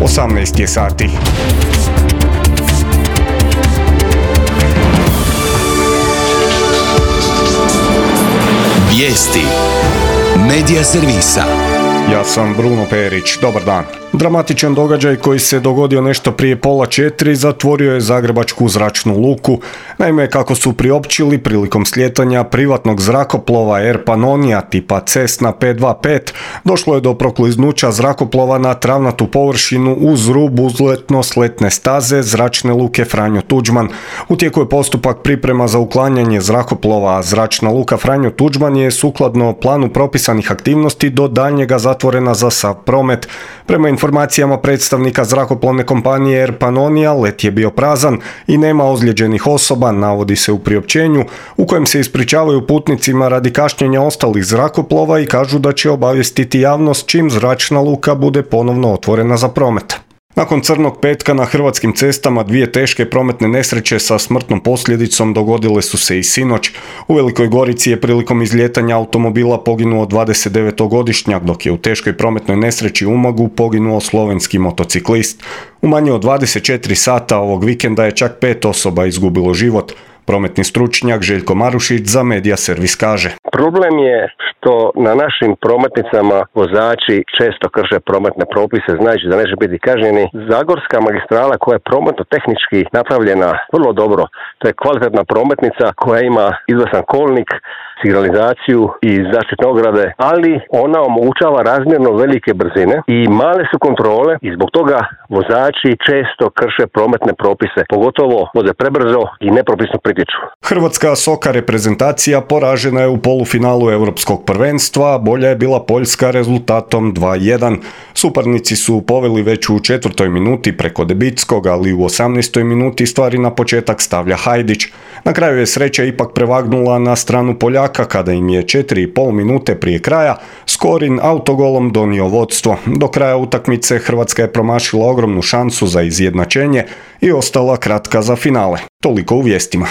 18 je sati. Vijesti Medija servisa. Ja sam Bruno Perić, dobar dan. Dramatičan događaj koji se dogodio nešto prije 3:30 zatvorio je zagrebačku zračnu luku. Naime, kako su priopćili, prilikom slijetanja privatnog zrakoplova Air Pannonia tipa Cessna 525 došlo je do prokliznuća zrakoplova na travnatu površinu uz rub uzletno-sletne staze zračne luke Franjo Tuđman. U tijeku je postupak priprema za uklanjanje zrakoplova, a zračna luka Franjo Tuđman je sukladno planu propisanih aktivnosti do daljnjega zatvorena za sav promet. Prema informacijama predstavnika zrakoplovne kompanije Air Pannonia, let je bio prazan i nema ozlijeđenih osoba, navodi se u priopćenju, u kojem se ispričavaju putnicima radi kašnjenja ostalih zrakoplova i kažu da će obavijestiti javnost čim zračna luka bude ponovno otvorena za promet. Nakon crnog petka na hrvatskim cestama 2 teške prometne nesreće sa smrtnom posljedicom dogodile su se i sinoć. U Velikoj Gorici je prilikom izlijetanja automobila poginuo 29-godišnjak, dok je u teškoj prometnoj nesreći u Umagu poginuo slovenski motociklist. U manje od 24 sata ovog vikenda je čak 5 osoba izgubilo život. Prometni stručnjak Željko Marušić za Medija servis kaže: Problem je što na našim prometnicama vozači često krše prometne propise, znači da neće biti kažnjeni. Zagorska magistrala koja je prometno tehnički napravljena vrlo dobro, to je kvalitetna prometnica koja ima izvrstan kolnik, signalizaciju i zaštitne ograde, ali ona omogućava razmjerno velike brzine i male su kontrole i zbog toga vozači često krše prometne propise, pogotovo voze prebrzo i nepropisno pritječu. Hrvatska soka reprezentacija poražena je u polufinalu Europskog prvenstva, a bolja je bila Poljska rezultatom 2:1. Suparnici su poveli već u 4. minuti preko Debitskog, ali u 18. minuti stvari na početak stavlja Hajdić. Na kraju je sreća ipak prevagnula na stranu Poljaka kada im je 4,5 minute prije kraja Skorin autogolom donio vodstvo. Do kraja utakmice Hrvatska je promašila ogromnu šansu za izjednačenje i ostala kratka za finale. Toliko u vijestima.